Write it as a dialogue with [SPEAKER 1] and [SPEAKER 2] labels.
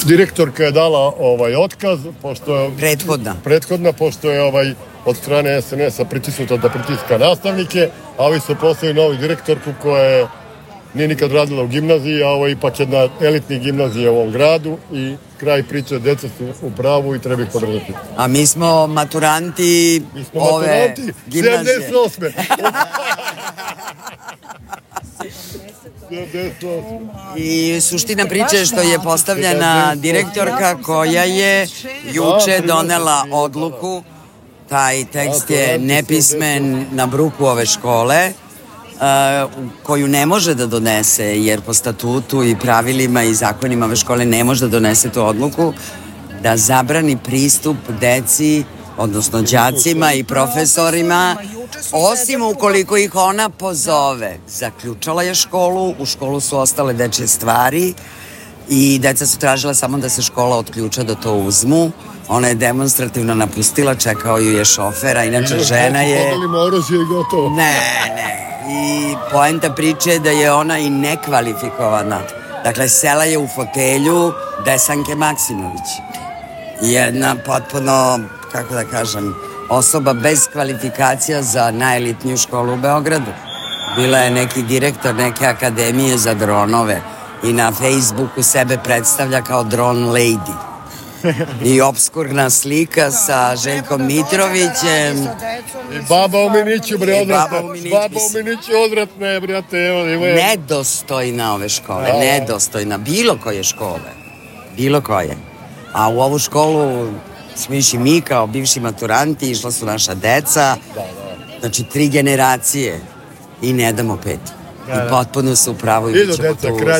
[SPEAKER 1] Direktorka je dala otkaz, pošto prethodna, pošto je od strane SNS-a pritisnuta da pritiska nastavnike, a ovi su poslali novu direktorku koja nije nikad radila u gimnaziji, a ovo je ipak jedna elitnih gimnazija u ovom gradu i kraj priče, deca su u pravu i treba ih podržati.
[SPEAKER 2] A mi smo maturanti ove gimnazije.
[SPEAKER 1] 78.
[SPEAKER 2] I suština priče je što je postavljena direktorka koja je juče donela odluku, taj tekst je nepismen na bruku ove škole, koju ne može da donese, jer po statutu i pravilima i zakonima ove škole ne može da donese tu odluku, da zabrani pristup deci, odnosno đacima i profesorima, osim ukoliko ih ona pozove. Zaključala je školu, u školu su ostale dečje stvari i deca su tražila samo da se škola otključa da to uzmu. Ona je demonstrativno napustila, čekao ju je šofera, inače žena je... Ne. I poenta priče je da je ona i nekvalifikovana. Dakle, sela je u fotelju Desanke Maksimović. Jedna potpuno, kako da kažem, osoba bez kvalifikacija za najelitniju školu u Beogradu. Bila je neki direktor neke akademije za dronove i na Facebooku sebe predstavlja kao drone lady. I obskurna slika sa Željkom Mitrovićem.
[SPEAKER 1] I baba u Miniću, bre, odvratna. Baba u Miniću odvratna, brate.
[SPEAKER 2] Nedostojna ove škole, nedostojna. Bilo koje škole. Bilo koje. A u ovu školu smo išli mi kao bivši maturanti, išla su naša deca. Znači 3 generacije. I ne damo 5. I potpuno su u pravu i bit ćemo tu do kraja.